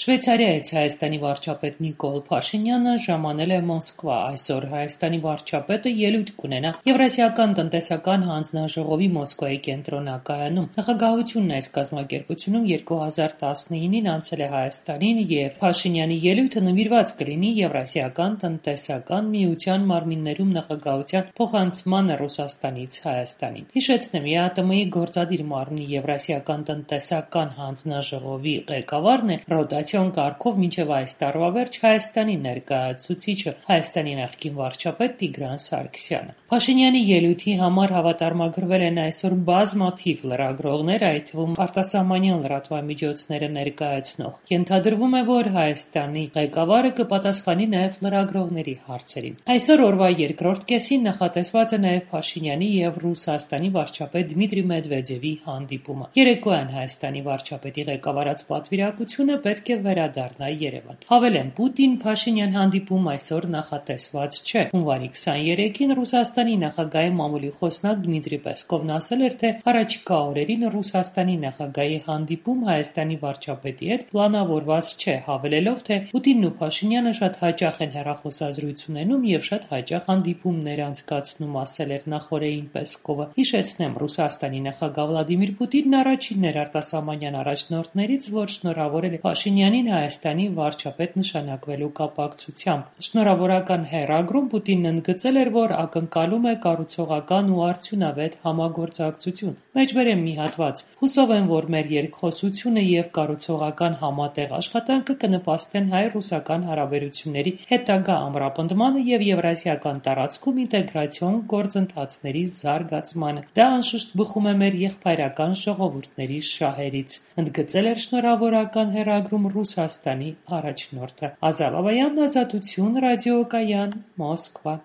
Շվեյցարիայից Հայաստանի վարչապետ Նիկոլ Փաշինյանը ժամանել է Մոսկվա։ Այսօր Հայաստանի վարչապետը ելույթ կունենա Եվրասիական տնտեսական հանձնաժողովի Մոսկվայի կենտրոնակայանում։ Նախագահությունն այս կազմակերպությունում 2019-ին անցել է Հայաստանին, եւ Փաշինյանի ելույթը նվիրված կլինի Եվրասիական տնտեսական միության մարմիններում նախագահության փոխանցմանը Ռուսաստանից Հայաստանին։ Հիշեցնեմ, ԵԱՏՄ-ի գործադիր մարմնի Եվրասիական տնտեսական հանձնաժողովի ղեկավարն է ռոտացիոն կարգով մինչև այս տարվա վերջ Հայաստանի ներկայացուցիչը, Հայաստանի նախկին վարչապետ Տիգրան Սարգսյանը։ Փաշինյանի ելույթի համար հավատարմագրվել են այսօր բազմաթիվ լրագրողներ, այդ թվում արտասահմանյան լրատվամիջոցները ներկայացնող։ Ենթադրվում է, որ Հայաստանի ղեկավարը կպատասխանի նաև լրագրողների հարցերին։ Այսօր օրվա երկրորդ կեսին նախատեսված է նաև Փաշինյանի եւ Ռուսաստանի վարչապետ Դմիտրի Մեդվեդևի հանդիպումը։ Երեկոյան Հայաստանի վարչապետի ղեկավարած պատվիրակությունը պետք է վերադառնա Երևան։ Հավելեմ, Պուտին-Փաշինյան հանդիպում այսօր նախատեսված չէ։ Հունվարի 23-ին Ռուսաստանի նախագահի մամուլի խոսնակ Դմիտրի Պեսկովն ասել էր, թե առաջիկա օրերին Ռուսաստանի նախագահի հանդիպում Հայաստանի վարչապետի հետ պլանավորված չէ, հավելելով, թե Պուտինն ու Փաշինյանը շատ հաճախ են հեռախոսազրույց ունենում եւ շատ հաճախ հանդիպումներ անցկացնում, ասել էր նախօրեին Պեսկովը։ Հիշեցնեմ, Ռուսաստանի նախագահ Վլադիմիր Պուտինն առաջինն էր արտասահմանյան առաջնորդներից, որ շնորհավորել է Փաշինյանին Հայաստանի վարչապետ նշանակվելու կապակցությամբ։ Շնորհավորական հեռագրում Պուտինն ընդգծել էր, որ ակնկալում է կառուցողական ու արդյունավետ համագործակցություն։ Մեջբերեմ մի հատված. հուսով եմ, որ մեր երկխոսությունը եւ կառուցողական համատեղ աշխատանքը կնպաստեն հայ-ռուսական հարաբերությունների հետագա ամրապնդմանը եւ եվրասիական տարածքում ինտեգրացիոն գործընթացների զարգացմանը։ Դա անշուշտ բխում է մեր եղբայրական ժողովուրդների շահերից, ընդգծել էր շնորհավորական հեռագրում Ռուսաստանի առաջնորդը։ Ազատ Բաբայան, Ազատություն, ռադիոկայան, Մոսկվա։